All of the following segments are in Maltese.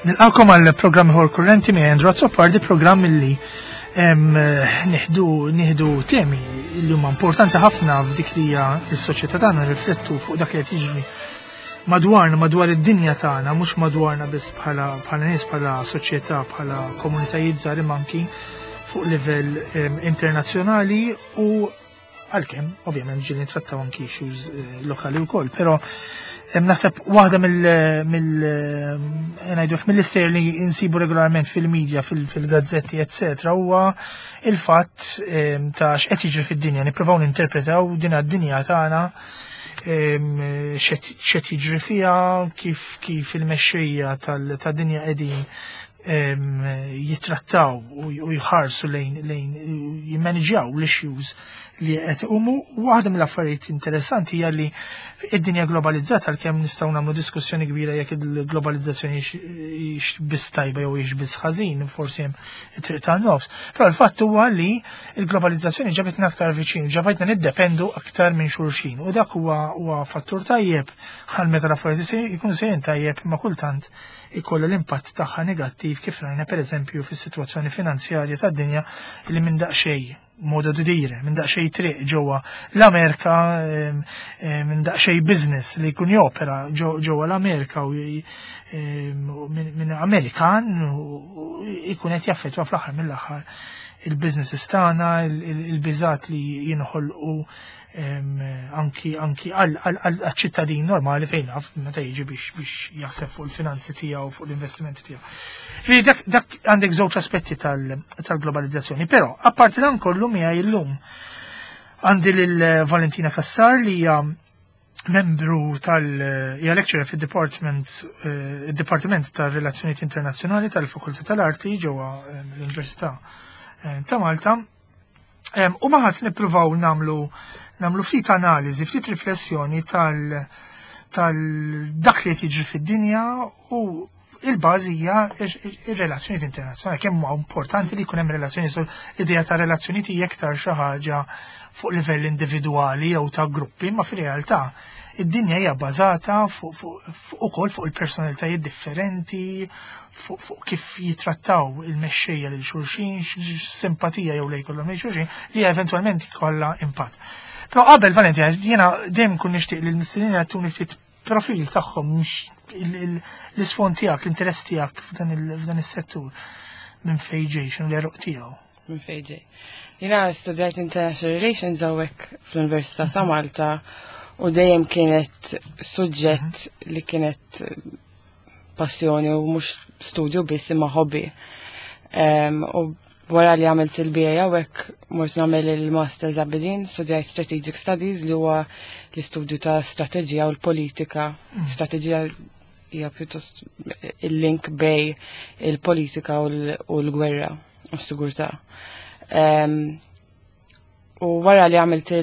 Nilqakom għal programm ieħor kurrenti minn Andrew Azzopardi, programm li nieħdu nieħdu temi li huma importanti ħafna f'dik li hija s-soċjetà tagħna riflettu fuq dak li qed jiġri madwarna, madwar id-dinja tagħna, mhux madwarna biss bħala bħala nies, bħala soċjetà, bħala komunitajiet żgħar imma anki fuq livell internazzjonali u għalkemm ovvjament ġieli nittrattaw anki issues eh, lokali wkoll, però naħseb waħda mill mill eh, ngħidu mill-istejjer li insibu regolarment fil-medja, fil-gazzetti, eccetera, huwa il-fatt ta' x'qed jiġri fid-dinja, nippruvaw ninterpretaw din għad-dinja tagħna x'qed jiġri fiha, kif kif il-mexxejja tad-dinja qegħdin jittrattaw u jħarsu lejn lejn jimmaniġjaw l-issues li qed iqumu. Waħda mill-affarijiet interessanti hija li id-dinja globalizzata għalkemm nistgħu nagħmlu diskussjoni kbira jekk il-globalizzazzjoni hix biss tajba jew hix biss ħażin, forsi hemm it-triq tan-nofs. Però l-fatt huwa li l-globalizzazzjoni ġabitna aktar viċin, ġabitna niddependu aktar minn xulxin u dak huwa huwa fattur tajjeb għal meta l-affarijiet jkunu sejrin tajjeb imma kultant ikollha l-impatt tagħha negattiv kif rajna pereżempju fis-sitwazzjoni finanzjarja tad-dinja li minn daqsxejn modo di dire, minn daqsxejn triq ġewwa l-Amerika, minn daqsxejn business li jkun jopera ġewwa l-Amerika u minn Amerikan ikun qed jaffettwa fl-aħħar mill-aħħar il-businesses tagħna, il-biżat li jinħolqu anki anki għal-ċittadin normali fejn naf meta jiġi biex biex jaħseb fuq il-finanzi tiegħu fuq l-investimenti tiegħu. Ġifieri dak dak għandek żewġ aspetti tal-globalizzazzjoni, però apparti dan kollu miegħi llum għandi lil Valentina Cassar li hija membru tal hija lecturer fid-Department eh, id-Dipartiment tar-Relazzjonijiet Internazzjonali tal-Fakultà tal-Arti ġewwa eh, l-Università eh, ta' Malta. U maħat nippruvaw namlu namlu ftit analiżi, ftit riflessjoni tal tal dak li qed jiġri fid-dinja u il-bażi hija ir-relazzjonijiet internazzjonali. Kemm huwa importanti li jkun hemm relazzjoni l-idea ta' relazzjonijiet hija iktar xi ħaġa fuq livell individwali jew ta' gruppi, ma fir-realtà id-dinja hija bbażata fuq ukoll fuq il-personalitajiet differenti, fuq kif jitrattaw il-mexxejja lil xulxin, simpatija jew lej kollhom lil xulxin, li eventwalment jkollha impatt. Però qabel Valentina, jiena dejjem kun nixtieq li l-mistednin jagħtuni ftit profil tagħhom l-isfond tiegħek, l-interess tiegħek f'dan is-settur minn fejn ġej, x'inhu l-eruq tiegħu. Minn fejn ġej. Jiena studjajt International Relations hawnhekk fl-Università ta' Malta u dejjem kienet suġġett li kienet passjoni u mhux studju biss imma hobby. U wara li għamilt il-BA hawnhekk mort nagħmel il-Masters Aberdeen, studjajt Strategic Studies li huwa l-istudju ta' strateġija u l-politika. Strateġija hija pjuttost il-link bej il-politika u l-gwerra u s-sigurtà. U wara li għamilt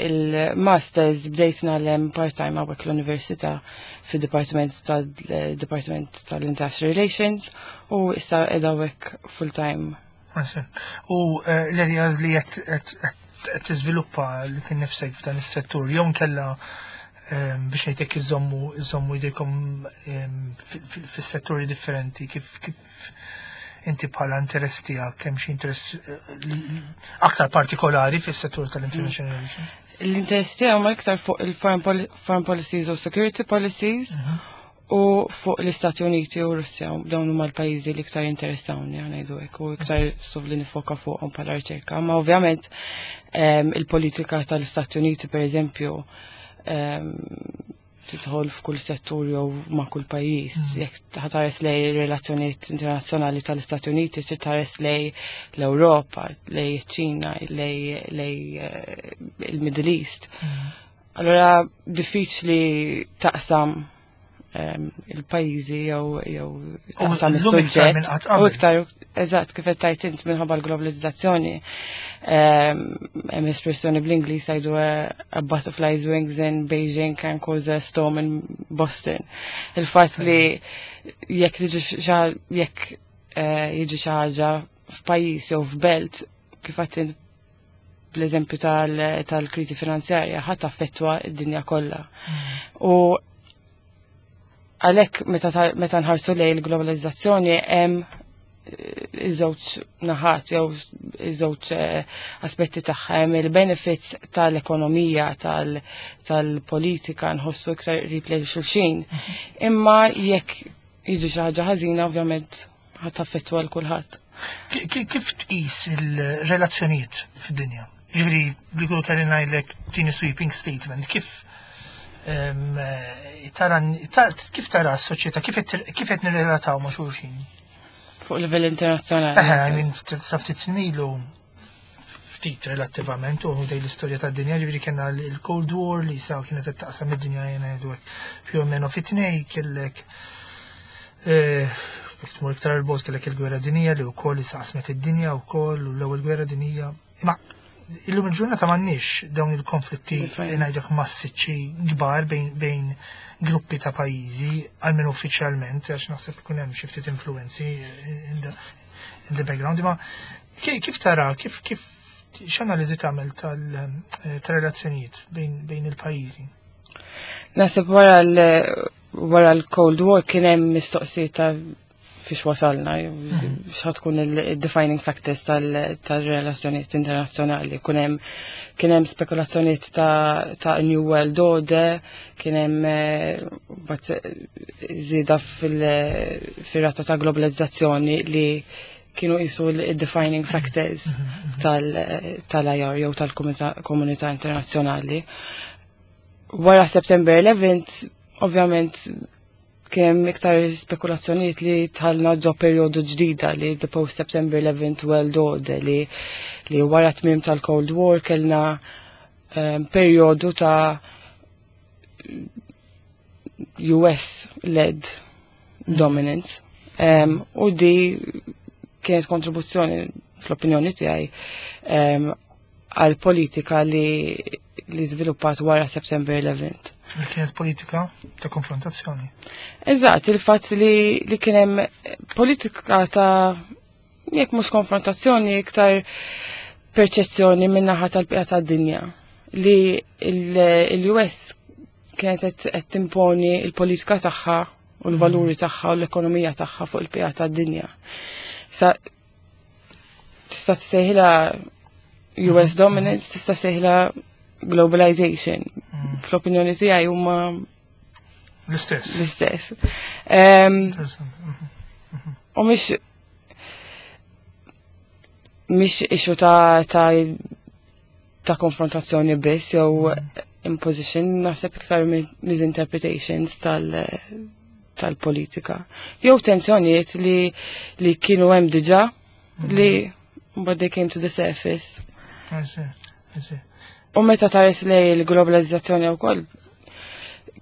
il-masters bdejt nagħlem part-time hawnhekk l-università fid-Dipartiment tal-Dipartiment tal-Industrial Relations u issa qiegħda hawnhekk full-time. U eh, l-areas li qed tiżviluppa li kien nifsek f'dan is-settur jew nkella ehm, biex ngħidlek iżommu iżommu jdejkom ehm, fis-setturi differenti kif kif inti bħala interess tiegħek hemm xi interess eh, aktar partikolari fis-settur tal-international relations? L-interess tiegħu ma iktar fuq il-foreign policies u security policies mhm. u fuq l-Istati Uniti u Russja dawn huma l-pajjiżi li iktar interessawni ngħidu hekk u iktar suf li nifoka fuqhom bħala riċerka. Ma ovvjament ehm, il-politika tal-Istati Uniti pereżempju ehm, tidħol f'kull settur jew ma' kull pajjiż. Mm. Jekk ħatares lej relazzjonijiet internazzjonali tal-Istati Uniti, trid tħares lej l-Ewropa, lej iċ-Ċina, lej eh, il-Middle East. Mm. Allora diffiċli taqsam ehm, il-pajjiżi jew jew taqsam is-suġġett. U iktar eżatt kif qed tajt int minħabba l-globalizzazzjoni. Ehm, hemm espressjoni bl-Ingliż jgħidu eh, a butterfly's wings in Beijing can cause a storm in Boston. Il-fatt li jekk tiġi jekk eh, jiġi xi ħaġa f'pajjiż jew f'belt kif qed bl-eżempju tal-kriżi finanzjarja ħadd affettwa d-dinja kollha. Mm. U Għalhekk meta nħarsu lejn il-globalizzazzjoni hemm iż-żewġ naħat jew iż-żewġ aspetti tagħha, hemm il-benefits tal-ekonomija, tal-politika nħossu iktar qrib lejn xulxin. Imma jekk jiġi xi ħaġa ħażina ovvjament ħadd taffettwa l kulħadd. Kif tqis il-relazzjonijiet fid-dinja? Ġifieri li kull kelli ngħidlek tieni sweeping statement, kif tara kif tara s-soċjetà, kif qed nirrelataw ma' xulxin? Fuq livell internazzjonali. Eħe, I mean, sa ftit snilu ftit relattivament u dej l-istorja tad-dinja, ġifieri kellna l-Cold War li sa kienet qed taqsam id-dinja jena ngħidu hekk più o meno fit-tnej kellek jekk tmur iktar il-bogħod kellek il-gwerra dinjija li wkoll issa qasmet id-dinja wkoll u l-ewwel gwerra dinjija. Imma illum il-ġurnata m'għandniex dawn il-konflitti ngħidlek massiċċi kbar bejn gruppi ta' pajjiżi, almenu uffiċjalment, għax naħseb ikun hemm xi ftit influenzi in the background, imma kif tara, kif kif x'analiżi tagħmel tal-relazzjonijiet bejn il-pajjiżi? Naħseb wara l-Cold War kien hemm mistoqsijiet ta' fiex wasalna, x'ħa tkun il-defining factors tal-relazzjonijiet internazzjonali. Kien hemm spekulazzjonijiet ta' New World Order, kien hemm mbagħad żieda fil-rata ta' globalizzazzjoni li kienu jisu il-defining factors tal-IR jew tal-komunità internazzjonali. Wara September 11, ovvjament, kien hemm iktar spekulazzjonijiet li dħalna ġo perjodu ġdida li the post September 11 World Order li wara tmiem tal-Cold War kellna perjodu ta' US-led dominance. U di kienet kontribuzzjoni fl-opinjoni tiegħi għal politika li żviluppat wara September 11. Li kienet politika ta' konfrontazzjoni. Eżatt, il-fatt li kien hemm politika ta' jekk mhux konfrontazzjoni, iktar perċezzjoni min-naħa tal-bqija tad-dinja li il-US kienet qed timponi il-politika tagħha u l-valuri tagħha u l-ekonomija tagħha fuq il-bqija tad-dinja. Sa tista' tsejħilha US dominance, tista' tsejħilha globalization. Fl-opinjoni tiegħi huma l-istess. L-istess. Interessanti. U mhix issue ta' konfrontazzjoni biss jew imposition, naħseb iktar misinterpretations tal-politika. Jew tensjonijiet li kienu hemm diġà li but they came to the surface. I see, I see. U meta tħares lejn il-globalizzazzjoni wkoll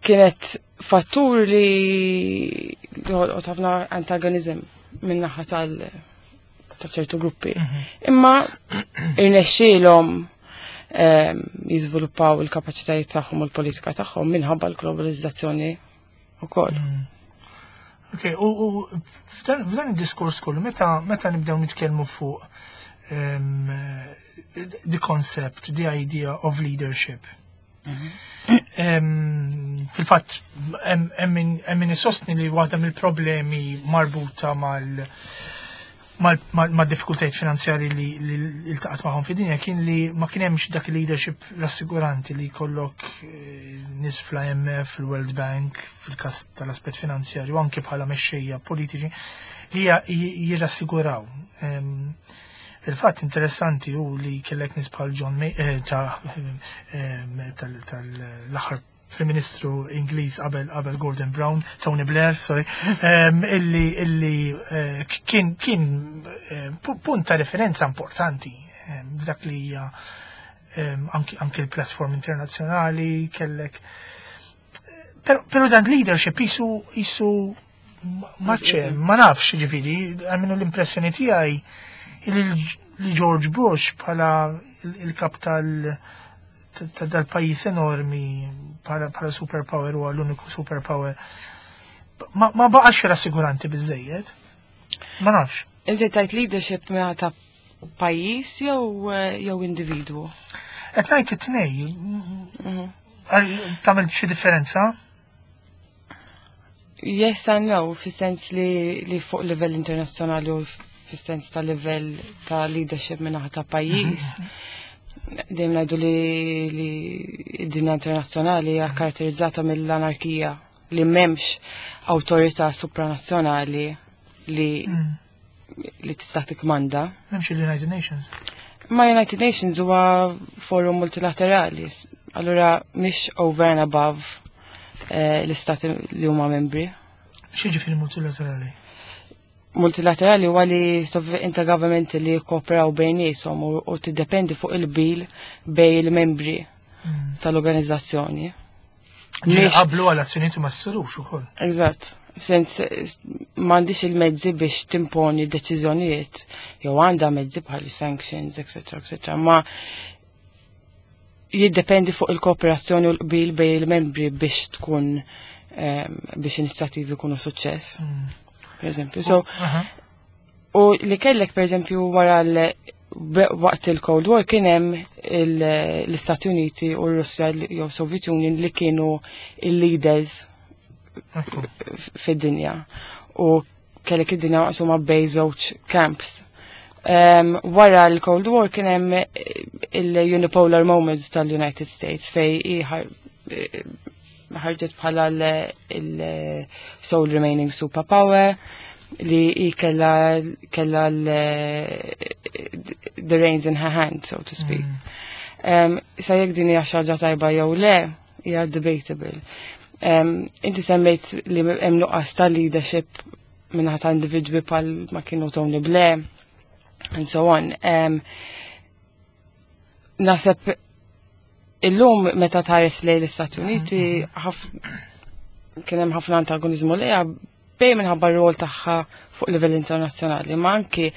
kienet fattur li ħolqot ħafna antagonizm minn naħa ta' ċertu gruppi. Imma irnexxielhom jiżviluppaw il-kapaċitajiet tagħhom u l-politika tagħhom minħabba l-globalizzazzjoni wkoll. Ok, u f'dan id-diskors kollu, meta nibdew nitkellmu fuq the concept, the idea of leadership. Fil-fatt, hemm min isostni li waħda mill-problemi marbuta mal diffikultajiet finanzjari li iltaqat magħhom fid-dinja kien li ma kien hemmx dak il-leadership rassiguranti li jkollok nies fl-IMF, fil-World Bank, fil-kas tal-aspett finanzjarju, anke bħala mexxejja politiċi li jirrassiguraw. Il-fatt interessanti hu li kellek nies bħal John May, tal-aħħar Prim Ministru Ingliż qabel Gordon Brown, Tony Blair, sorry, illi kien punt ta' referenza importanti f'dak li hija anki l-platform internazzjonali kellek. Pero dan leadership jisu maċe, ma nafx ġifieri, almenu l-impressjoni tiegħi li George Bush bħala il-kap ta' dal-pajjiż enormi bħala superpower u l-uniku superpower ma baqax rassiguranti biżejjed. Ma nafx. Inti tajt leadership minn ta' pajjiż jew individwu? Qed ngħid it-tnej. Tagħmel xi differenza? Yes and no, fis-sens li fuq livell internazzjonali u fis-sens ta' livell ta' leadership minnaħa ta' pajjiż. Dejjem ngħidu li d-dinja internazzjonali hija karatterizzata mill-anarkija, li m'hemmx awtorità supranazzjonali li tista' tikkmanda. M'hemmx il-United Nations. Ma United Nations huwa forum multilaterali, allura mhix over and above l-istati li huma membri. X'jiġifieri multilaterali? Multilaterali huwa li intergovernmental li jikkooperaw bejniethom u tiddependi fuq il-qbil bejn il-membri tal-organizzazzjoni. Ġieli qablu għal azzjonijiet ma ssirux ukoll. Eżatt. Sens m'għandix il-mezzi biex timponi deċiżjonijiet, jew għandha mezzi bħal sanctions, etc., etc. Ma jiddependi fuq il-kooperazzjoni u l-qbil bejn il-membri biex tkun biex inizjattivi jkunu suċċess. Per eżempju. So, u li kellek, per eżempju, wara waqt il-Cold War kien hemm l-Istati Uniti u r-Russja jew Soviet Union li kienu il-leaders fid-dinja. U kellek id-dinja maqsuma bejn żewġ camps. Wara l-Cold War kien hemm il-unipolar moments tal-United States fej ħarġet bħala il-sole remaining superpower li hi kella the reins in her hand, so to speak. Sa jekk din hija xi ħaġa tajba jew le, hija debatable. Inti semmejt li hemm nuqqas ta' leadership minnaħa ta' individwi bħal ma kienu Tony Blair and so on. Naħseb illum meta tħares lejn l-Istati Uniti kien hemm ħafna antagonizmu lejha bej minħabba r-rol tagħha fuq livell internazzjonali, ma anki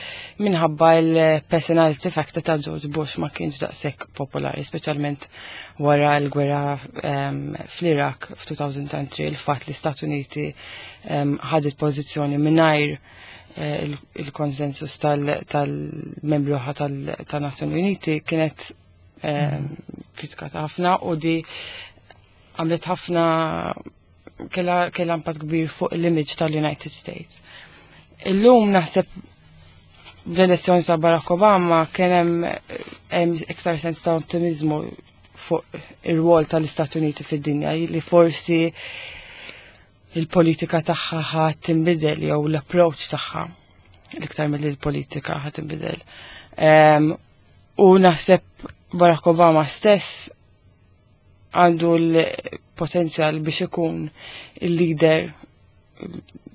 minħabba l-personality factor ta' George Bush ma kienx daqshekk popolari, speċjalment wara l-gwerra fl-Iraq f'2003, il-fatt li Stati Uniti ħadet pożizzjoni mingħajr il-konsensus tal-membri oħra tal-Nazzjoni Uniti kienet kritikata ħafna u di għamlet ħafna kella impatt kbir fuq l-image tal-United States. Illum naħseb bl-elezzjoni ta' Barack Obama kien hemm iktar sens ta' ottimizmu fuq ir-rwol tal-Istati Uniti fid-dinja, li forsi il-politika tagħha ħa tinbidel jew l-approach tagħha l-iktar mill l-politika ħa tinbidel. U naħseb Barack Obama stess għandu l-potenzjal biex ikun il-leader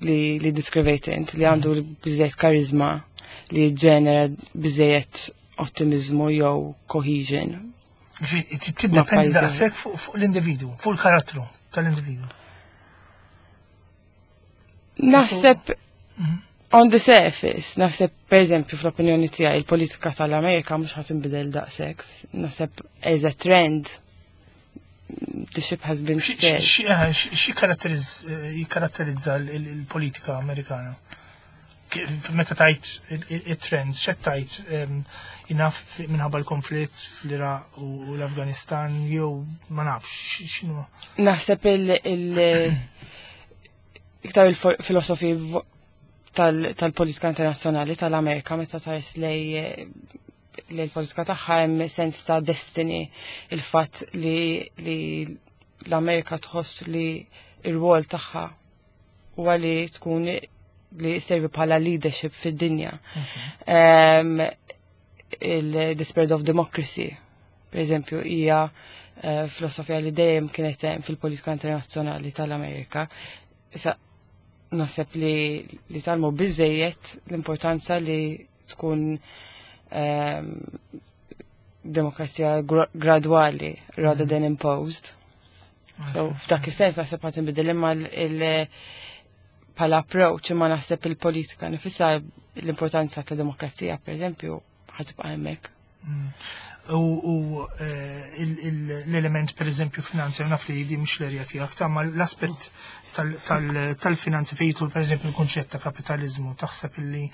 li deskrivejt int, li għandu biżejjed karizma li ġenera biżejjed ottimizmu jew cohesion. Tiddependi daqshekk fuq l-individu, fuq il-karattru tal-individu. Naħseb on the surface, naħseb, per eżempju, fl-opinjoni tiegħi il-politika tal-Amerika mhux ħa tinbidel daqshekk. Naħseb as a trend the ship has been sailed. Xi jikkaratterizza il-politika Amerikana? Meta tajt il-trends, x'qed tajt jinaf minħabba l-konflitt fl-Iraq u l-Afganistan, jew ma nafx, x'inhu? Naħseb iktar il-filosofi tal-politika internazzjonali tal-Amerika, meta tħares lej l-politika tagħha, hemm sens ta' destiny, il-fatt li l-Amerika tħoss li ir-rwol tagħha huwa li tkun li servi bħala leadership fid-dinja. Il-the spread of democracy, per eżempju, hija filosofija li dejjem kienet hemm fil-politika internazzjonali tal-Amerika. Issa naħseb li tgħallmu biżejjed l-importanza li tkun demokrazija gradwali rather than imposed. So f'dak is-sens naħseb ħadd inbidel, imma bħala approach, imma naħseb il-politika nifisha, l-importanza ta' demokrazija, per eżempju, ħa tibqa' hemmhekk. U l-element, per eżempju, finanzja, naf li di mhux l-erja tiegħek, ta' ma l-aspett tal-finanzi fejn jidħol, per eżempju, l-kunċett ta' kapitalizmu, taħseb illi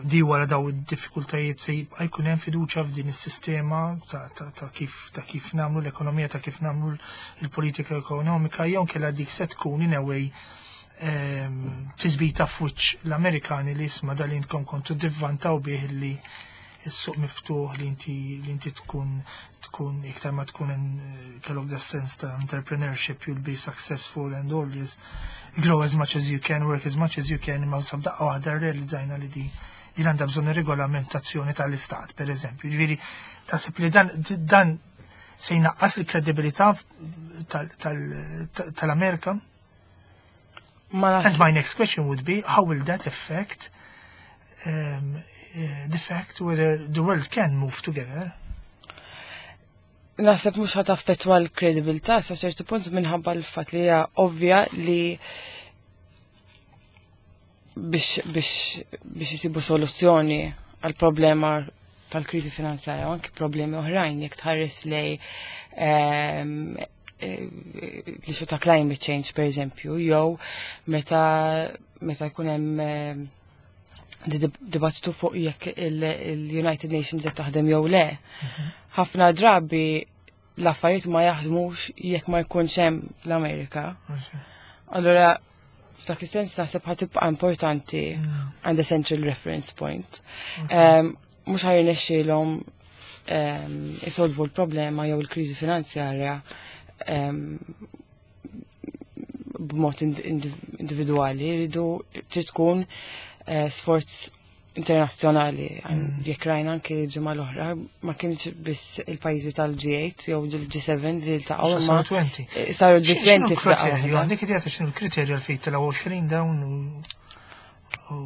di wara daw id-diffikultajiet se jibqa' jkun hemm fiduċja f'din is-sistema ta' kif nagħmlu l-ekonomija, ta' kif nagħmlu l-politika ekonomika, jew kella dik se tkun in a way Tisbita f'wiċċ l-Amerikani li isma' dal intkom kontu divvantaw bih li s-suq miftuħ li inti tkun iktar ma tkun kellok the sense ta' entrepreneurship, you'll be successful and all this, grow as much as you can, work as much as you can, imma sa f'daqqa waħda realizzajna li di din għandha bżonn regolamentazzjoni tal-istat, per eżempju. Ġifieri taħseb li dan se jnaqqas il-kredibilità tal-Amerika? Ma And my next question would be, how will that affect the fact whether the world can move together? Naħseb mhux ħa taffettwa l-kredibilità sa ċertu punt minħabba l-fatt li hija ovvja li biex isibu soluzzjoni għal problema tal-kriżi finanzjarja u anki problemi oħrajn jekk tħares lej l-issue ta' climate change, per eżempju, jew meta jkun hemm dibattitu fuq jekk il-United Nations qed taħdem jew le. Ħafna drabi l-affarijiet ma jaħdmux jekk ma jkunx hemm l-Amerika. Allora, f'dak is-sens naħseb ħa tibqa' importanti għandha central reference point. Mhux ħa jirnexxielhom isolvu l-problema jew il-kriżi finanzjarja b'mod individwali, jridu trid tkun sforz internazzjonali. Jekk rajna anke ġimgħa l-oħra, ma kienx biss il-pajjiżi tal-G8 jew il-G7 li ltaqgħu, imma Saru 20. Saru G20 X'inhu f'daqqa l-kriterju? waħda. Għandek idea ta' x'inhu l-kriterju għal fejn telgħu 20 dawn u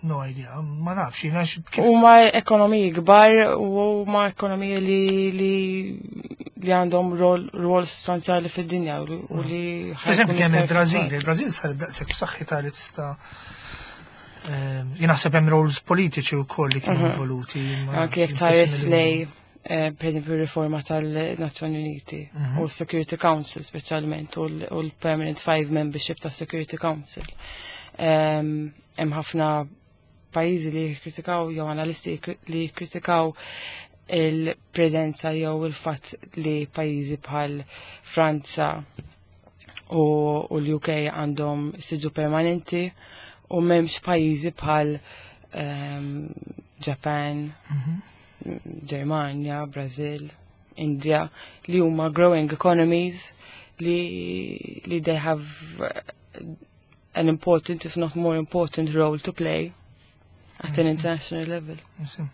no idea, ma nafx, jiena kif Huma ekonomiji kbar u huma ekonomiji li għandhom rol sostanzjali fid-dinja u li Per eżempju, ħajkunu kemm iktar il-Brażil, fil-fatt. Il-Brażil sar daqshekk b'saħħitha li tista' jien naħseb hemm roles politiċi wkoll li kienu involuti. Anke jekk tħares lej, per eżempju, riforma tal-Nazzjoni Uniti u l-Security Council speċjalment u l-Permanent Five Membership tas Security Council. Hemm ħafna pajjiżi li jikkritikaw jew analisti li jikkritikaw il-preżenza jew il-fatt li pajjiżi bħal Franza u l-UK għandhom siġu permanenti u m'hemmx pajjiżi bħal Japan, Germania, Brazil, India li huma growing economies li they have an important, if not more important, role to play at an international level. Nsim.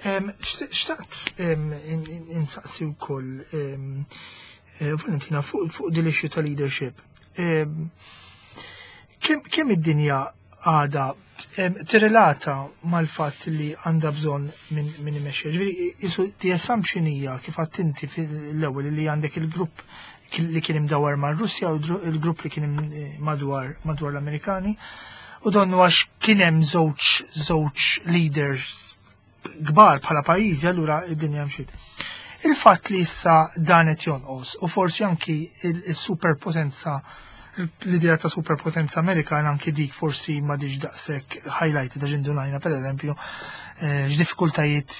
Xtaqt insaqsi wkoll, Valentina, fuq din l-issue ta' leadership. Kemm id-dinja għada tirrelata mal-fatt li għandha bżonn minn imexxi? Ġifieri, isu the assumption hija kif għedt inti fil-ewwel li għandek il-grupp li kien imdawar mar-Russja u il-grupp li kien madwar l-Amerikani. U donnu għax kien hemm żewġ leaders kbar bħala pajjiżi, allura id-dinja mxiet. Il-fatt li issa dan qed jonqos u forsi anki il-superpotenza, l-idea ta' superpotenza Amerikana, anki dik forsi ma diġ daqshekk highlighted, għax indunajna, per eżempju, x'diffikultajiet,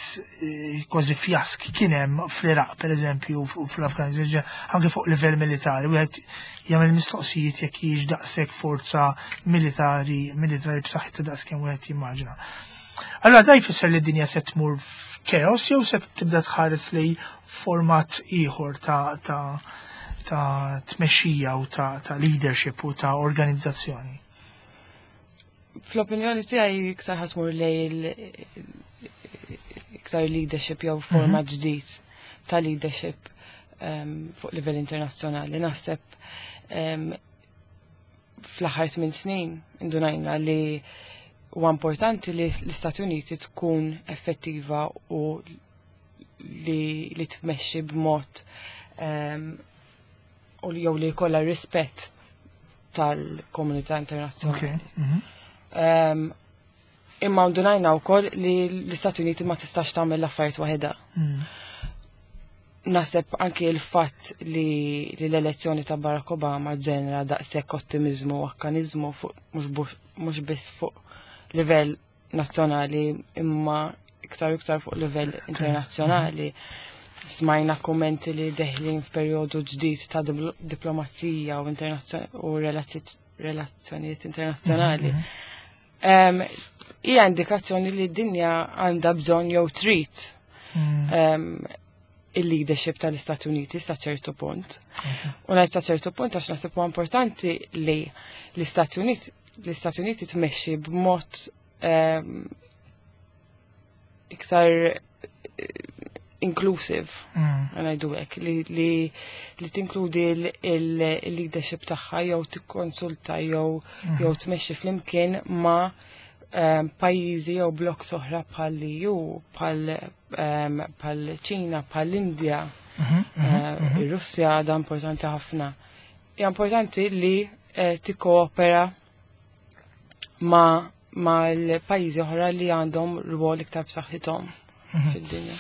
kważi fjask kien hemm fl-Iraq, per eżempju, u fl-Afganistan, anke fuq livell militari, wieħed jagħmel mistoqsijiet jekk hijiex daqshekk forza militari b'saħħitha daqskemm wieħed jimmaġina. Allora da jfisser li d-dinja se tmur f'chaos jew se tibda tħares li format ieħor ta' tmexxija u ta' leadership u ta' organizzazzjoni? Fl-opinjoni tiegħi iktar ħa tmur lej iktar leadership jew forma ġdid ta' leadership fuq livell internazzjonali. Naħseb fl-aħħar 8 snin indunajna li huwa importanti li l-Istati Uniti tkun effettiva u li tmexxi b'mod u li jew li jkollha rispett tal-komunità internazzjonali. Imma ndunajna wkoll li l-Istati Uniti ma tistax tagħmel l-affarijiet waħedha. Naħseb anki il-fatt li l-elezzjoni ta' Barack Obama ġenera daqshekk ottimizmu u akkanizmu fuq mhux biss fuq livell nazzjonali imma iktar u iktar fuq livell internazzjonali. Smajna kommenti li deħlin f'perjodu ġdid ta' diplomazija u u relazzjonijiet internazzjonali. Hija indikazzjoni li d-dinja għandha bżonn jew trid il-leadership tal-Istati Uniti sa ċertu punt. U ngħid sa ċertu punt għax naħseb huwa importanti li l-Istati Uniti l-Istati Uniti tmexxi b'mod iktar inclusive, ngħidu hekk, li tinkludi il-leadership tagħha jew tikkonsulta jew tmexxi flimkien ma' pajjiżi jew blokk oħra bħal EU, bħal Ċina, bħal Indja, ir-Russja għadha importanti ħafna. Hija importanti li tikkoopera ma' l-pajjiżi oħra li għandhom rwol iktar b'saħħithom fid-dinja.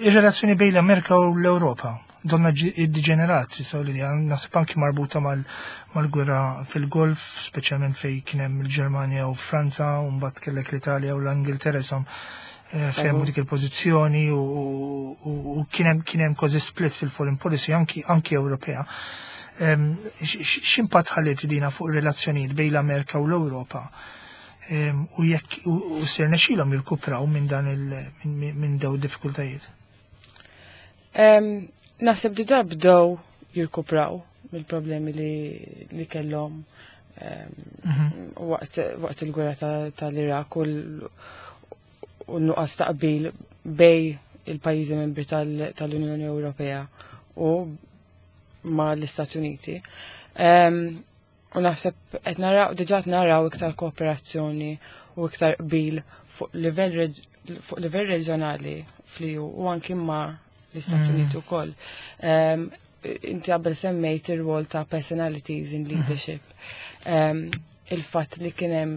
Ir-relazzjoni bejn l-Amerika u l-Ewropa donna iddeġenerat, so li naħseb anki marbuta mal-gwerra fil-Golf, speċjalment fej kien hemm il-Ġermanja u Franza, u mbagħad kellek l-Italja u l-Ingilterra isom fehmu dik il-pożizzjoni u kien hemm kważi split fil-foreign policy anki Ewropea. X'impatt ħalliet dina fuq ir-relazzjonijiet bejn l-Amerika u l-Ewropa? U jekk u ser nexxilhom jirkupraw minn dan il minn daw diffikultajiet? Naħseb diġà bdew jirkupraw mill-problemi li kellhom waqt il-gwerra tal-Iraq u n-nuqqas ta' qbil bejn il-pajjiżi membri tal-Unjoni Ewropea u ma l-Istati Uniti. U naħseb qed naraw diġà qed naraw iktar kooperazzjoni u iktar qbil fuq livell reġjonali fl-EU u anki ma l-Istati Uniti wkoll. Inti qabel semmejt ir-rwol ta' personalities in leadership. Il-fatt li kien hemm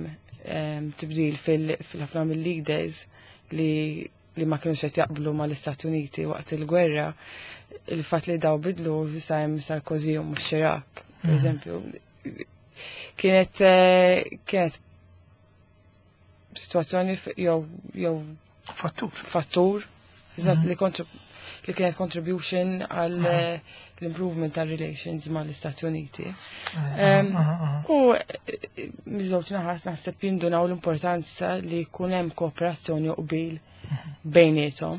tibdil fil-ħafna mill-leaders li ma kienux qed jaqblu mal-Istati Uniti waqt il-gwerra, il-fatt li daw bidlu sa hemm Sarkozy u mhux Chirac, per eżempju, kienet situazzjoni jew fattur. Fattur, eżatt, li kienet contribution għal l-improvement tal relations ma l-Istati Uniti. U miż-żewġ naħat naħseb jindunaw l-importanza li jkun hemm kooperazzjoni u qbil bejniethom.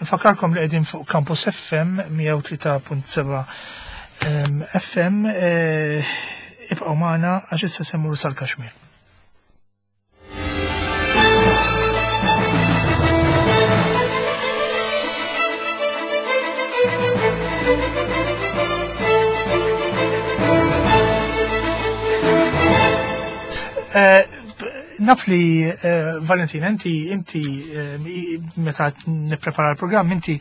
Nfakkarkom li qegħdin fuq Campus FM 103.7 FM, ibqgħu magħna għax issa se mmorru sal-Kaxmir. Naf li Valentina, inti meta nipprepara l-programm, inti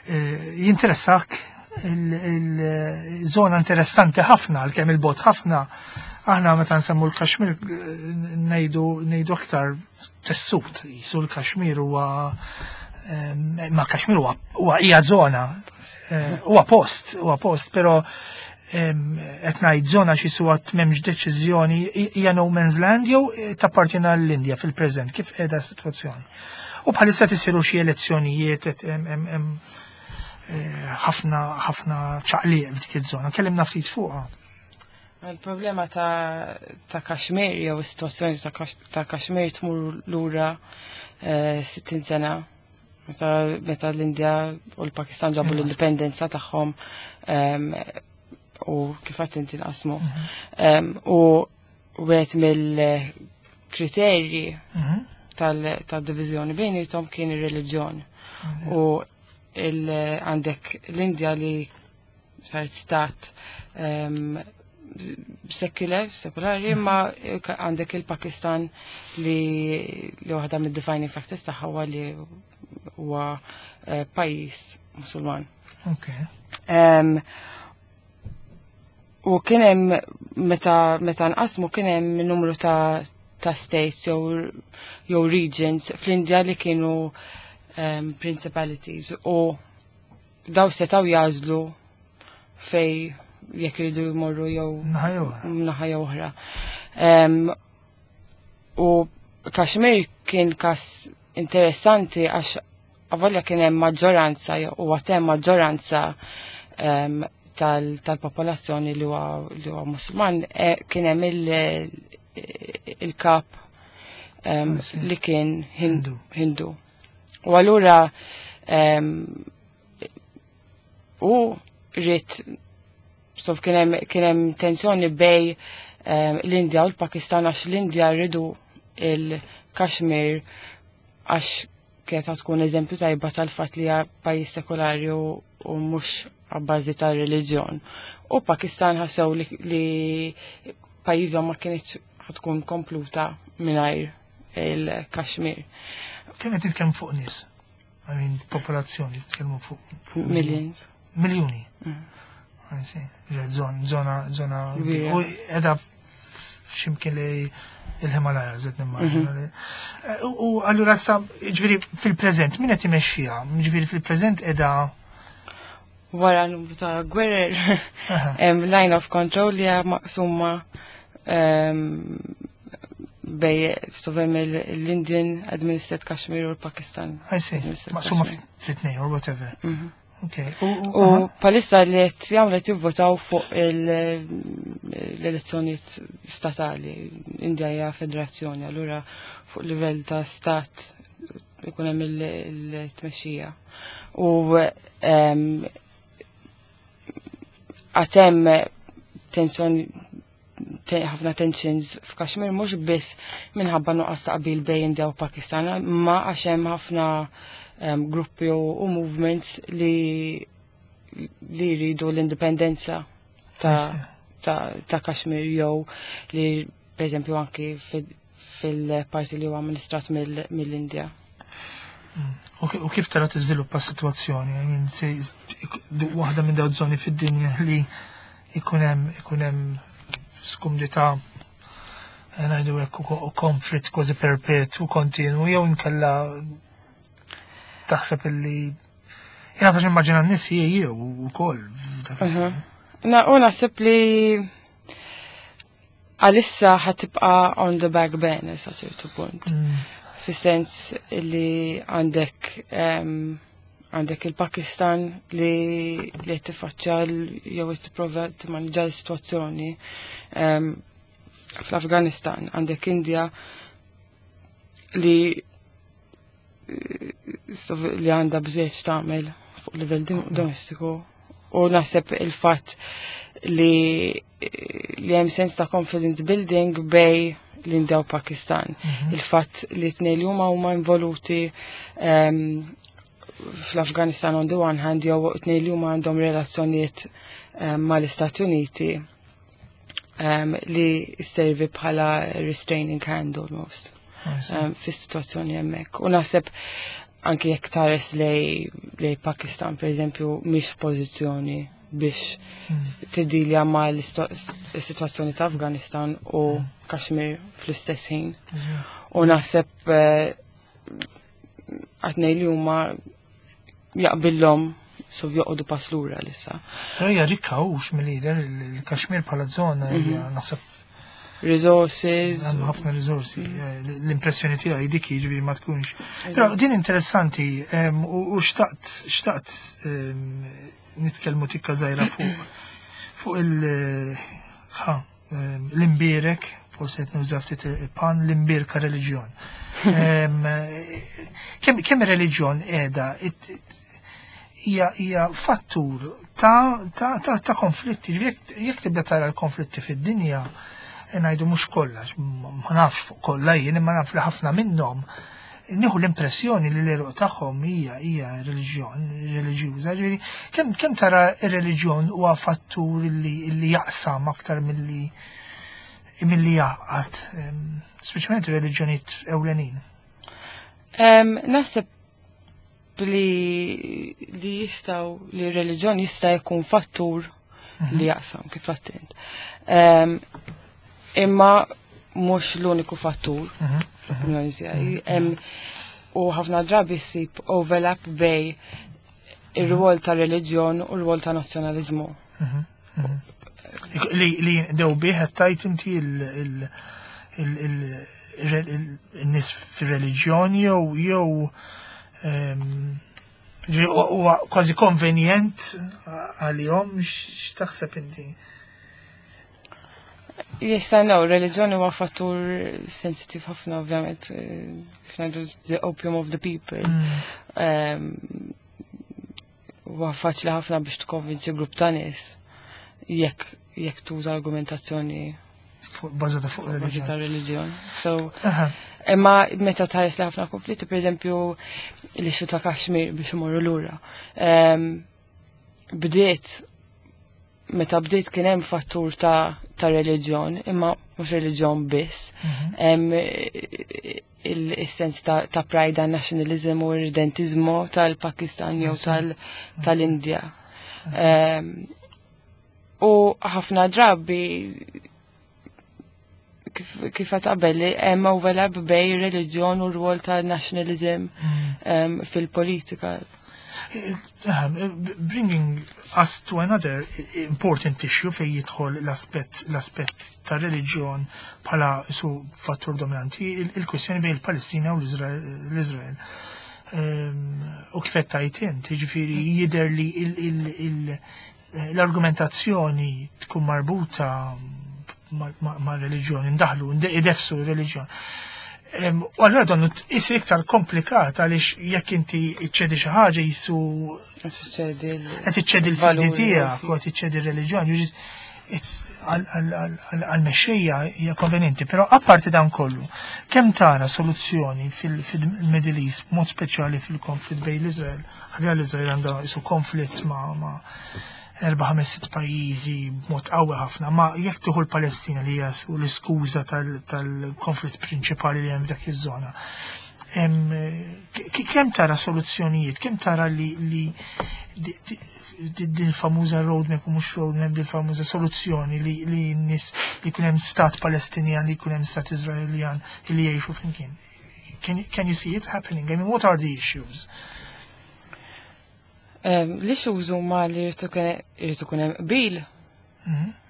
jinteressak il-żona interessanti ħafna, għalkemm il-bogħod ħafna. Aħna meta nsemmu l-Kaxmir ngħidu aktar tessut, jisu l-Kaxmir huwa ma Kaxmir huwa hija żona, huwa post, però qed ngħid żona xi suwa m'hemmx deċiżjoni, hija no man's land jew tappartjena l-Indja fil-preżent, kif qiegħda s-sitwazzjoni? U bħalissa tisiru xi elezzjonijiet qed hemm ħafna ħafna ċaqliq f'dik iż-żona. Kellimna ftit fuqha. Il-problema ta' Kashmir jew is-sitwazzjoni ta' Kashmir tmur lura 60 sena meta l-Indja u l-Pakistan ġabu l-indipendenza tagħhom u kif għedt inti nqasmu. U wieħed mill-kriterji tal-diviżjoni bejniethom kien ir-reliġjon. U għandek l-Indja li saret stat secular, sekulari, ma għandek il-Pakistan li waħda mid-defining factors tagħha huwa li huwa pajjiż Musulman. U kien hemm meta nqasmu kien hemm numru ta' states jew regions fl-Indja li kienu principalities u daw setaw jagħżlu fej jekk iridu jmorru jew Naħa jew oħra. naħa jew oħra. U Kashmir kien kas interessanti għax avolja kien hemm maġġoranza u għad hemm maġġoranza tal-popolazzjoni li huwa Musulman, kien hemm il-kap li kien Hindu. U allura u rrit sof kien hemm tensjoni bej l-Indja u l-Pakistan għax l-Indja rridu il-Kashmir għax kienet tkun eżempju tajba tal-fatt li hija pajjiż sekolari u mhux għabbażi tal-reliġjon. U Pakistan ħassew li pajjiżhom ma kienx tkun kompluta mingħajr il-Kashmir. Kemm qed nitkellmu fuq nies? I mean, popolazzjoni, nitkellmu fuq Millions. Miljuni. Zona, zona. U edha x'imkien li il-Himalaya, zed nimmaġina. U allura sa, ġifieri fil-preżent, min qed imexxiha? Ġifieri fil-preżent edha wara numru ta' gwerer, line of control li hija maqsuma bej stovem l-Indian Administered Kashmir u l-Pakistan. I see. Maqsuma fit-tnejn or whatever. Okay. U palissa li qed jagħmlu qed jivvotaw fuq l-elezzjonijiet statali. Indja hija federazzjoni, allura fuq livell ta' stat ikun hemm il-tmexxija. U għatem tensjoni, ħafna tensions f'Kashmir mhux biss minħabba nuqqas ta' qbil bejn India u Pakistan, ma għax hemm ħafna gruppi u movements li jridu l-indipendenza ta' Kashmir jew li per eżempju anki fil-parti li huwa amministrat mill-Indja. U kif tara tiżviluppa s-sitwazzjoni? I mean, waħda minn dawn żoni fid-dinja li ikun hemm skumdità, ngħidu hekk, u konflitt kważi perpetwu kontinu, jew inkella taħseb illi jena faċ immaġina n-nies jew ukoll f'dak iż-żmien. Na, u naħseb li għalissa ħatibqa on the back burner sa ċertu punt. Fis-sens li għandek il-Pakistan li qed tiffaċċja jew qed tipprova timmanġa l-sitwazzjoni fl-Afganistan, għandek India li għandha bżejt tagħmel fuq livell domestiku, u naħseb il-fatt li hemm sens ta' confidence building bej l-Indja u Pakistan. Il-fatt li tnejn li huma huma involuti fl-Afganistan on the one hand, jew tnejn li huma għandhom relazzjonijiet mal-Istati Uniti li servi bħala restraining hand almost fis-sitwazzjoni hemmhekk. U naħseb anki jekk tħares lej Pakistan, per eżempju, mhix pożizzjoni biex tiddilja ma l-situazzjoni ta' Afganistan u Kashmir fl-istess ħin. U naħseb għatnej li huma jaqbillhom sov joqogħdu pass lura lissa. Però hija rikka hux mill-lider il-Kashmir bħala żona hija naħseb resources. Hemm ħafna risorsi. L-impressjoni tiegħi dik jiġifieri ma tkunx. Però din interessanti u xtaqt nitkellmu tikka żgħira fuq l-imbierek, forsi qed nuża ftit pan l-imbierka reliġjon. Kemm ir-reliġjon qiegħda hija fattur ta' konflitti. Jekk tibda tara l-konflitti fid-dinja, ngħidu mhux kollha, ma nafx fuq kollha jien, imma naf li ħafna minnhom nieħu l-impressjoni li l-eruq tagħhom hija reliġjon, reliġjuża. Ġifieri, kemm tara r-reliġjon huwa fattur li jaqsam aktar milli jaqgħad, speċjalment ir-reliġjonijiet ewlenin? Naħseb li jistgħu li r-reliġjon jista' jkun fattur li jaqsam kif għedt. Imma mhux l-uniku fattur, fl-opinjoni tiegħi. U ħafna drabi ssib overlap bej ir-rwol ta' reliġjon u r-rwol ta' nazzjonaliżmu. Li dew bih qed tajt inti il-nies fir-reliġjoni jew Huwa kważi konvenjent għalihom, x'taħseb inti? Yes, I know, reliġjoni huwa fattur sensitiv ħafna ovvjament, kif ngħidu the opium of the people. Huwa faċli ħafna biex tkonvinċi grupp ta' nies jekk tuża argumentazzjoni bażata fuq reliġjon. So, imma meta tħares li ħafna konflitti, per eżempju, l-issue ta' Kashmir biex imorru lura. Bdiet, meta bdiet kien hemm fattur ta' reliġjon, imma mhux reliġjon biss. Hemm il-sens ta' pride, nationalism u irredentizmu tal-Pakistan jew tal-Indja. U ħafna drabi kif qabel hemm overlap bejn reliġjon u r-rwol ta' nationalism fil-politika. Bringing us to another important issue fej jidħol l-aspett ta' reliġjon bħala su fattur dominanti, il-kwestjoni bejn il-Palestina u l-Izrael. U kif qed tgħid int, jiġifieri jidher li l-argumentazzjoni tkun marbuta ma' reliġjoni, ndaħlu, idefsu reliġjon. U allura dan isir iktar komplikat għaliex jekk inti iċċedi xi ħaġa jisu qed iċċedi l-fidi tiegħek u qed iċċedi r-reliġjon. Għal-mexxejja hija konvenjenti, però apparti dan kollu, kemm tara soluzzjoni fil-Middle East, mod speċjali fil-konflitt bejn l-Iżrael, għalija l-Iżrael għandha isu konflitt ma' erba' ħames sitt pajjiżi b'mod qawwi ħafna, ma jekk tieħu l-Palestina li hija l-iskuża tal-konflitt prinċipali li hemm f'dak iż-żona. Kemm tara soluzzjonijiet, kemm tara li din famuża roadmap u mhux roadmap, din famuża soluzzjoni li n-nies li jkun hemm stat Palestinjan, li jkun hemm stat Iżraeljan li jgħixu flimkien? Can you see it happening? I mean, what are the issues? L-issues huma li jrid ikun hemm qbil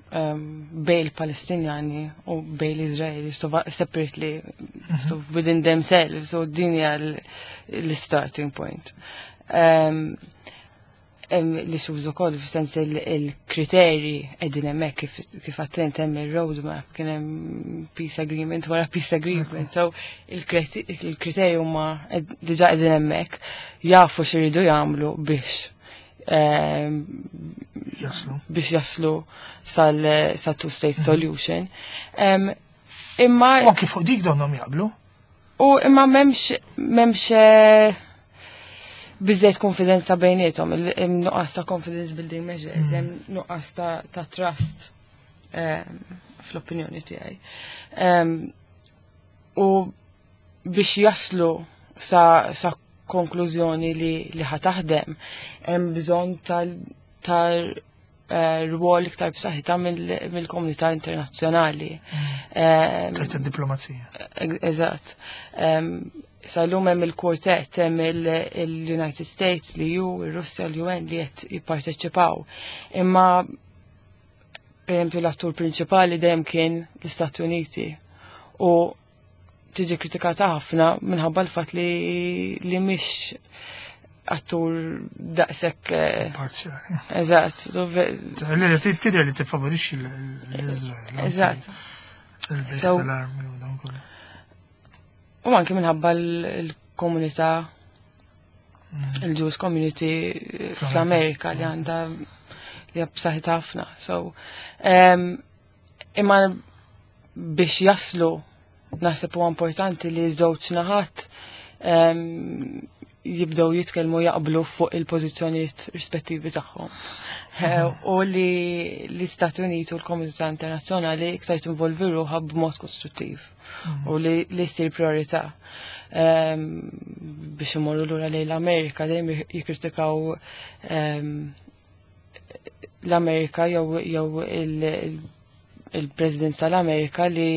bejn il-Palestinjani u bejn l-Iżraeli, so separately, so within themselves, so din hija l-starting point. L-issues ukoll f'sens il-kriterji qegħdin hemmhekk kif attent hemm il-roadmap, kien hemm peace agreement wara peace agreement, so il-kriterji huma diġà qegħdin hemmhekk, jafu x'iridu jagħmlu biex jaslu biex jaslu sal sa two state solution. Imma U anki fuq dik donhom jaqblu. U imma m'hemmx biżejt konfidenza bejniethom, il-nuqqas ta' confidence building measures, hemm nuqqas ta' trust fl-opinjoni tiegħi. U biex jaslu sa konklużjoni li ħa taħdem, hemm bżonn tal rwol iktar b'saħħitha mill-komunità internazzjonali. Tal diplomazija. Eżatt. Sal-lum hemm il-quartet, hemm il-United States, l-EU, ir-Russja, l-UN li qed jipparteċipaw. Imma per esempio l-attur prinċipali dejjem kien l-Istati Uniti u tiġi kritikata ħafna minħabba l-fatt li mhix attur daqshekk Parzjali. Eżatt. Li tidher li tiffavorixxi l-Iżrael. Eżatt. Il-bejt tal-armi u dan kollu. U anke minħabba l-komunità, il-Jewish community fl-Amerika li għandha li hija b'saħħitha ħafna. So, imma biex jaslu naħseb huwa importanti li żewġ naħat jibdew jitkellmu, jaqblu fuq il-pożizzjonijiet rispettivi tagħhom. U li l-Istati Uniti u l-komunità internazzjonali iktar tinvolvi ruħha b'mod kostruttiv u li ssir priorità. Biex imorru lura lejn l-Amerika dejjem jikkritikaw l-Amerika jew il-President tal-Amerika li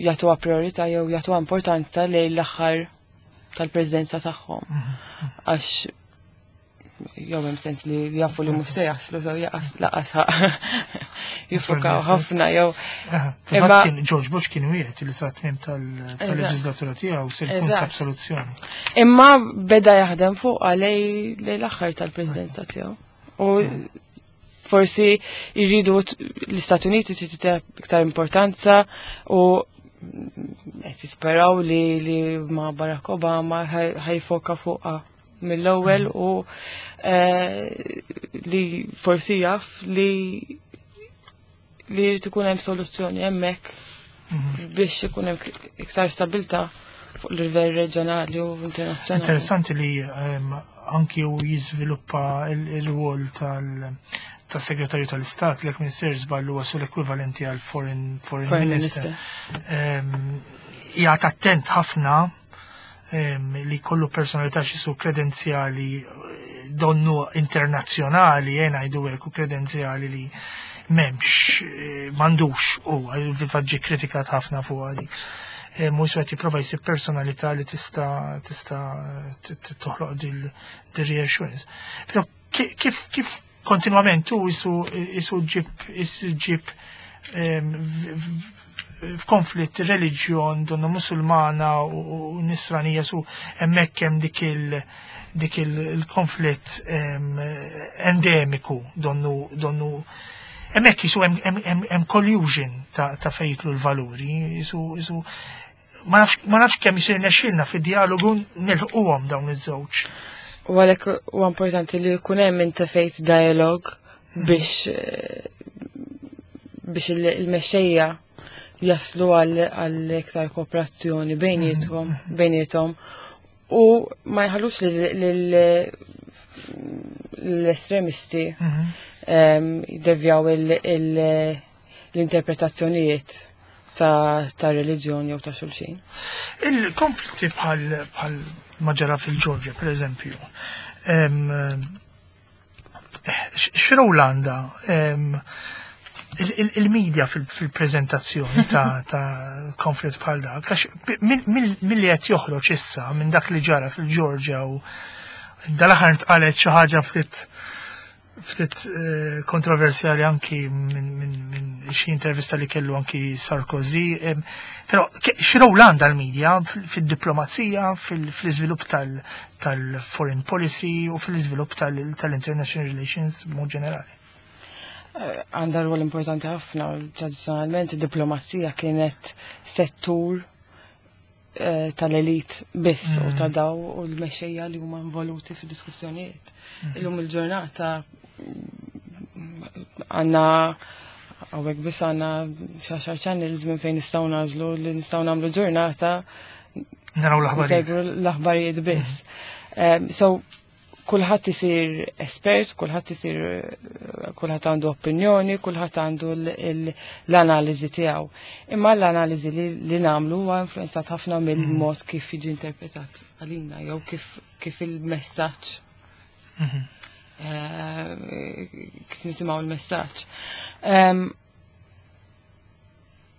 jagħtuha priorità jew jagħtuha importanza lejn l-aħħar tal-presidenza tagħhom. Għax Jew hemm sens li jafu li mhux se jaslu, so jaqas laqas jiffukaw ħafna jew. Imma kien George Bush kien wieħed li sa tmiem tal-leġislatura tiegħu se jkun sab soluzzjoni. Imma beda jaħdem fuq lej l-aħħar tal-presidenza tiegħu. U forsi jridu l-Istati Uniti trid iktar importanza u qed jisperaw li ma' Barack Obama ħa jiffoka fuqha mill-ewwel u li forsi jaf li jrid ikun hemm soluzzjoni hemmhekk biex ikun hemm iktar stabilità fuq livell reġjonali u internazzjonali. Interessanti li anki u jiżviluppa il-rwol tal-segretarju tal-Istat li minn żball huwa sul ekwivalenti għal foreign minister. Jgħat attent ħafna li kollu personalità xi kredenzjali donnu internazzjonali, jena ngħidu hekk, u kredenzjali li m'hemmx, m'għandux u fil-fatt kritikat ħafna fuq għadi. Mhux qed jipprova jsib personalità li tista' toħloq dil reassurance. Però kif kontinwament tu isu ġib f'konflitt reliġjon donnu Musulmana u Nisranija su hemmhekk hemm dik il-konflitt endemiku donnu hemmhekk jisu hemm collusion ta' fejtlu l-valuri jisu ma nafx kemm jisir nexxilna fid-dialogu nilħquhom dawn iż-żewġ. U għalhekk huwa importanti li jkun hemm interfaith dialogue biex il-mexxejja jaslu għal iktar kooperazzjoni bejniethom u ma jħallux l-estremisti jiddevjaw l-interpretazzjonijiet ta' reliġjoni jew ta' xulxin. Il-konflitti bħal ma ġara fil-Ġorġja, per eżempju, x'rol għandha il-media fil-prezentazzjoni ta' konflitt bħal dak? Għax mill-li qed joħroġ issa minn dak li ġara fil-Ġorġja u dal-aħħar ntqalet xi ħaġa ftit kontroversjali anki minn xi intervista li kellu anki Sarkozy. Però x'rol għandha l-media fil-diplomazija, fil-iżvilupp tal-foreign policy u fil-iżvilupp tal-international relations mod ġenerali? Għandha rwol importanti ħafna. Tradizzjonalment id-diplomazija kienet settur tal-elit biss u ta' daw u l-mexxejja li huma involuti fi diskussjonijiet. Illum il-ġurnata għandna hawnhekk biss għandna xi channels minn fejn nistgħu nagħżlu li nistgħu nagħmlu ġurnata naraw l-aħbarijiet. Nsegwu l-aħbarijiet biss. So kulħadd isir espert, kulħadd isir kulħadd għandu opinjoni, kulħadd għandu l-analiżi tiegħu. Imma l-analiżi li nagħmlu huwa influenzat ħafna mill-mod kif jiġi interpretat għalina jew kif il-messaġġ kif nisimgħu l-messaġġ.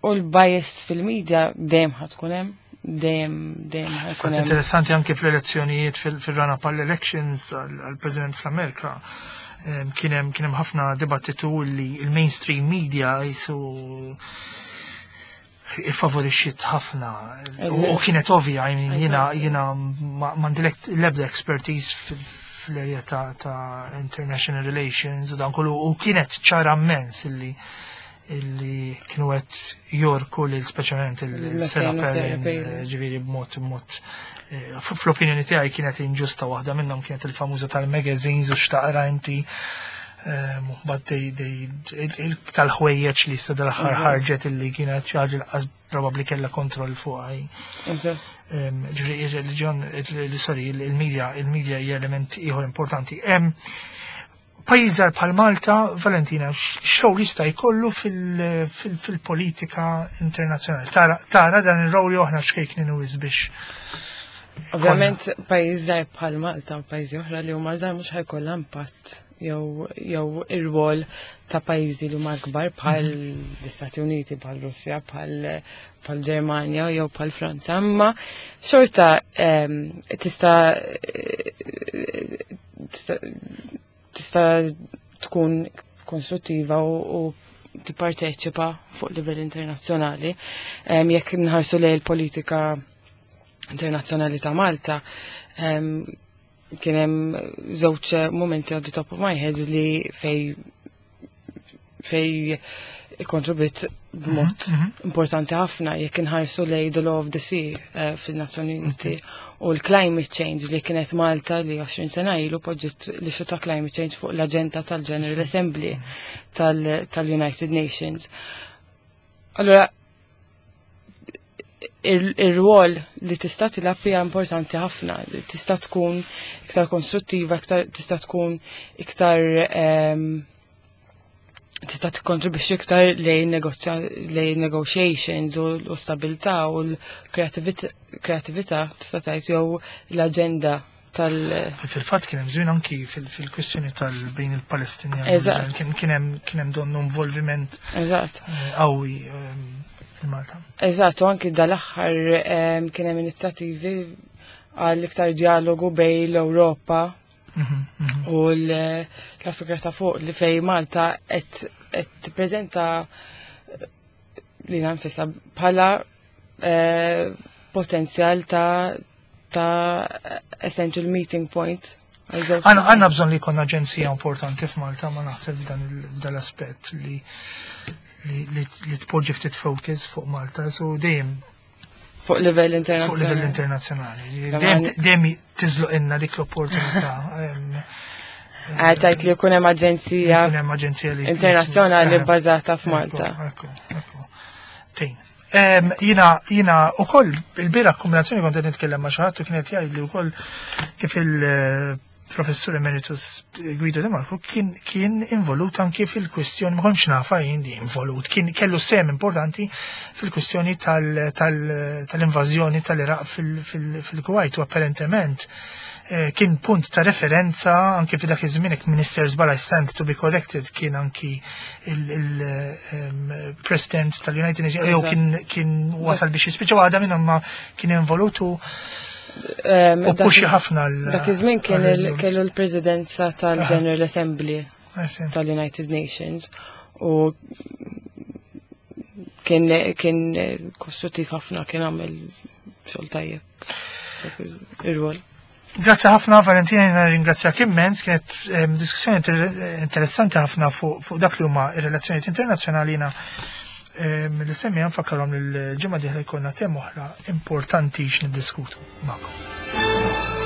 U l-bias fil-media dejjem ħa tkun hemm, dejjem dejjem ħa jkun Fatt hemm. Interessanti anke fl-elezzjonijiet fil-run-up għall-elections għall-President fl-Amerika. Kien hemm ħafna dibattitu li il-mainstream media jisu favorixxiet ħafna u kienet ovvja, I mean, jiena m'għandi l-ebda expertise fl-area ta' international relations u dan kollu u kienet ċara immens illi kienu qed jorku lil speċjalment il-Sarah Il-McCain u Sarah Palin, Palin. Ġifieri b'mod fl-opinjoni tiegħi kienet inġusta. Waħda minnhom kienet il-famuża tal-magazines u x'taqra inti. But tal-ħwejjeġ li sa dal-aħħar ħarġet illi kienet xi ħaġa li qas probabbli kellha kontroll fuqha. Ġifieri ir-reliġjon, sorry, il-media hija element ieħor importanti. Pajjiż żgħar bħal Malta, Valentina, x'rol jista' jkollu fil-politika internazzjonali? Tara dan ir-rol jew aħna xkejknin u biex Ovvjament pajjiż żgħar bħal Malta u pajjiżi oħra li huma żgħar mhux ħa jkollha impatt jew ir-rwol ta' pajjiżi li huma kbar bħal l-Istati Uniti, bħal Russja, bħal Ġermanja jew bħal Franza, imma xorta tista' tista' tkun konstruttiva u tipparteċipa fuq livell internazzjonali. Jekk nħarsu lejn il-politika internazzjonali ta' Malta, kien hemm żewġ momenti on the top of my head li fej kontribwit b'mod importanti ħafna jekk inħarsu lejn the law of the sea fil-Nazzjoni Uniti u l-climate change li kienet Malta li 20 sena ilu poġġiet l-issue ta' climate change fuq l-agenda tal-General Assembly tal-United Nations. Allora, ir-rwol li tista' tilgħab hija importanti ħafna, li tista' tkun iktar konstruttiva, iktar tista' tkun iktar tista' tikkontribwixxi iktar lejn negotiations u l-stabilità u l-kreatività tista' tgħid jew l-aġenda tal Fil-fatt kien hemm żmien anki fil-kwistjoni tal-bejn il-Palestinjani. Kien hemm donnu involviment qawwi fil-Malta. Eżatt, u anki dal-aħħar kien hemm inizjattivi għal iktar dialogu bejn l-Ewropa u l-Afrika ta' fuq li fej Malta qed tippreżenta lilha nfisha bħala potenzjal ta' essential meeting point għal żewġ Għandna bżonn li jkollna aġenzija importanti f'Malta, ma naħseb f'dan l-aspett li tpoġġi ftit focus fuq Malta, so dejjem fuq livell fuq livell internazzjonali. Internazzjonali. Dejjem tiżloq inna dik l-opportunità. Għedt li jkun hemm aġenzija Jkun hemm aġenzija li internazzjonali bbażata f'Malta. Ekku. Tejn. Jina u koll, il-bieraħ kombinazzjoni kont qed nitkellem ma' xi ħadd u kienet jgħid li wkoll kif il-professur emeritus Guido De Marco kien involut anki fil-kwistjoni, ma kontx nafa jien di involut, kien kellu sem importanti fil-kwistjoni tal-invażjoni tal-Iraq fil-Kuwait u apparentement kien punt ta' referenza anki fi dak iż-żmien hekk Minister Zbala, I stand to be corrected, kien anki il-President tal-United Nations jew kien wasal biex jispiċċa waħda minnhom ma kien involutu u puxi ħafna Dak iż-żmien kien kellu l-Presidenza tal-General Assembly tal-United Nations u kien kostruttiv ħafna, kien għamel xogħol tajjeb dak ir-rwol. Grazzi ħafna, Valentina, jena ringrazzjak immens, kienet diskussjoni interessanti ħafna fuq dak li huma ir-relazzjonijiet internazzjonali. Jiena li semmi nfakkarhom li l-ġimgħa dieħla jkollna tema oħra importanti x'niddiskutu magħkom.